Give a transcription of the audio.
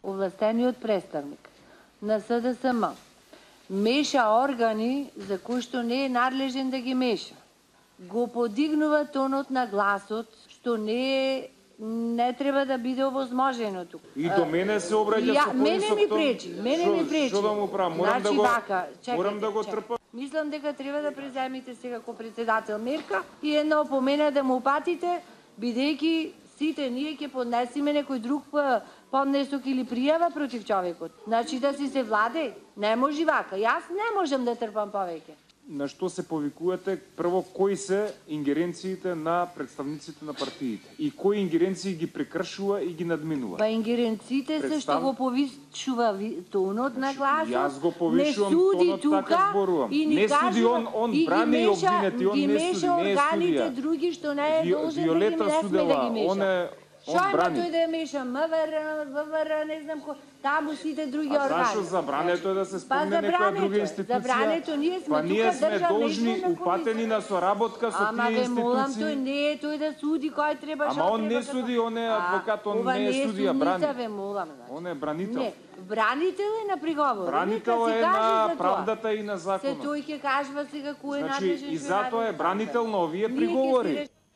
овластениот представник на СДСМ меша органи за кои што не е надлежен да ги меша, го подигнува тонот на гласот, што не треба да биде овозможено тука. И до мене се обраќа со Мене ми пречи. Што да му правам? Морам да го трпам. Мислам дека треба да преземите сега ко председател мерка и една опомена да му упатите, бидејќи сите ние ќе поднесиме некој друг поднесок или пријава против човекот. Значи да си се владе, не може вака. Јас не можам да трпам повеќе. На што се повикувате? Прво, кои се ингеренциите на представниците на партиите? И кои ингеренции ги прекршува и ги надминува? Па ингеренциите се што го повишува тонот на гласот. Јас го повишувам тонот, така зборувам. Не суди, он брани и обвинети, он не суди, не е органите други што не е должен да ги меша. Шо има тој да ја меша? МВР, не знам кој, таму сите други органи. Зашо забрането е да се спомне некоја друга институција? Забрането, ние сме тука ние сме должни, упатени на соработка со тие институции. Ама ве молам, тој не е тој да суди кој треба, Ама он не суди, он е адвокат, он не е судија, брани. Ве молам, он е бранител. Не, бранител е на приговор. Бранител е на правдата и на законот. Се тој ќе кажува сега кој е надлежен. Значи, и затоа е бранител на овие приговори.